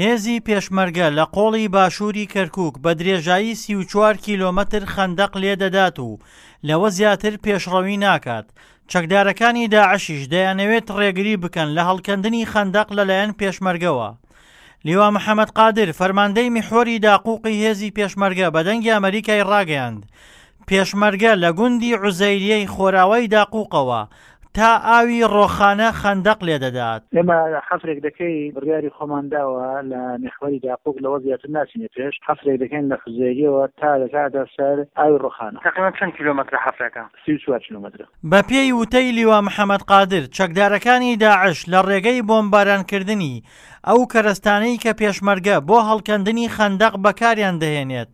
هێزی پێشمەرگە لە قۆڵی باشووری کەرکووک بە درێژایی 34 کیلۆمەتر خەندەق لێدەدات و لەوە زیاتر پێشڕەوی ناکات، چەکدارەکانی داعشیش دەیانەوێت ڕێگری بکەن لە هەڵکەندنی خەندەق لەلایەن پێشمەرگەوە. لیوا محەمەد قادر، فەرماندەی میحوەری داقوقی هێزی پێشمەرگە بە دەنگی ئەمەریکای ڕاگەیاند، پێشمەرگە لە گوندی عوزەیریەی خۆراوای داقوقەوە تا ئاوی ڕۆخانە خەندەق لێدەدات. ئێمە حەفرێک دەکەی بڕیاری خۆمان داوە لە میحوەری داقوق لەوە زیاتر ناچینە پێش، حەفرێک دەکەین لە حوزەیریەوە تا دەکاتە سەر ئاوی ڕۆخانە. تەقریبەن چەند کیلۆمەترە حەفرەکە؟ 34 کیلۆمەترە. بەپێی وتەی لیوا محەمەد قادر، چەکدارەکانی داعش لە ڕێگەی بۆمبارانکردنی ئەو کەرەستانەی کە پێشمەرگە بۆ هەڵکەندنی خەندەق بەکاریان دەهێنێت،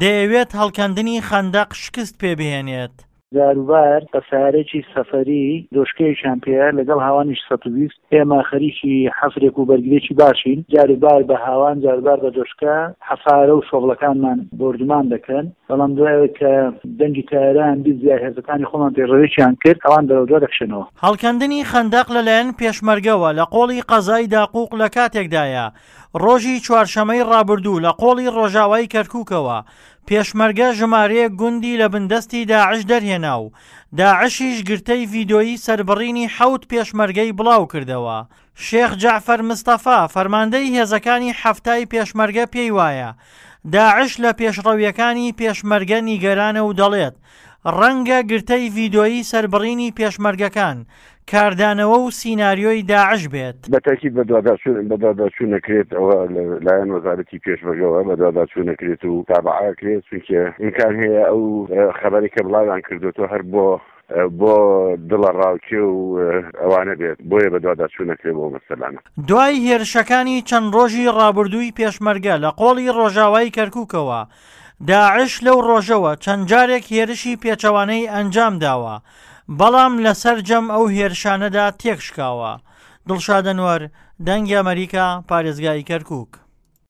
دەیەوێت هەڵکەندنی خەندەق شکست پێ بهێنێت. جاروبار بە سەیارەیەکی سەفەری دۆشکەیەکیان پێیە لەگەڵ هاوانیش 120 ئێمە خەریکی حەفرێک و بەرگرێکی باشین جاروبار بە هاوان جاروبار بە دۆشکە حەفارە و شۆڤڵەکانمان بۆردومان دەکەن بەڵام دوای ئەوەی کە دەنگی تەیارەیان 20 یا هێزەکانی خۆمان پێشڕەویەکیان کرد ئەوان بەرەو دوا دەکشێنەوە. هەڵکەندنی خەندەق لەلایەن پێشمەرگەوە لە قۆڵی قەزای داقوق لە کاتێکدایە، ڕۆژی چوارشەمەی ڕابردوو لە قۆڵی ڕۆژاوای کەرکوکەوە پێشمەرگە ژمارەیەک گوندی لە بندەستی داعش دەرهێنا و داعشیش گرتەی ڤیدۆیی سەربڕینی حەوت پێشمەرگەی بڵاوکردەوە. شێخ جەعفەر مستەفا، فەرماندەی هێزەکانی حەفتای پێشمەرگە پێی وایە، داعش لە پێشڕەوییەکانی پێشمەرگە نیگەرانە و دەڵێت، ڕەنگە گرتەی ڤیدۆیی سەربڕینی پێشمەرگەکان، کاردانەوە و سیناریۆی داعش بێت. بە تەئکید بەدواداچوون بەدواداچوون ئەکرێت ئەوە لە لایەن وەزارەتی پێشمەرگەوە بەدواداچوون ئەکرێت و تابعە ئەکرێت چونکە ئیمکان هەیە ئەو خەبەرەی کە بڵاویان کردۆتەوە هەر بۆ بۆ دڵەڕاوکێ و ئەوانە بێت بۆیە بەدواداچوون ئەکرێت بۆ مەسەلانە. دوای هێرشەکانی چەند ڕۆژی ڕابردووی پێشمەرگە لە قۆڵی ڕۆژاوای کەرکووکەوە، داعش لەو ڕۆژەوە چەند جارێک هێرشی پێچەوانەی ئەنجام داوە، بەڵام لە سەرجەم ئەو هێرشانەدا تێکشکاوە. دڵشاد ئەنوەر، دەنگی ئەمەریکا، پارێزگای کەرکووک.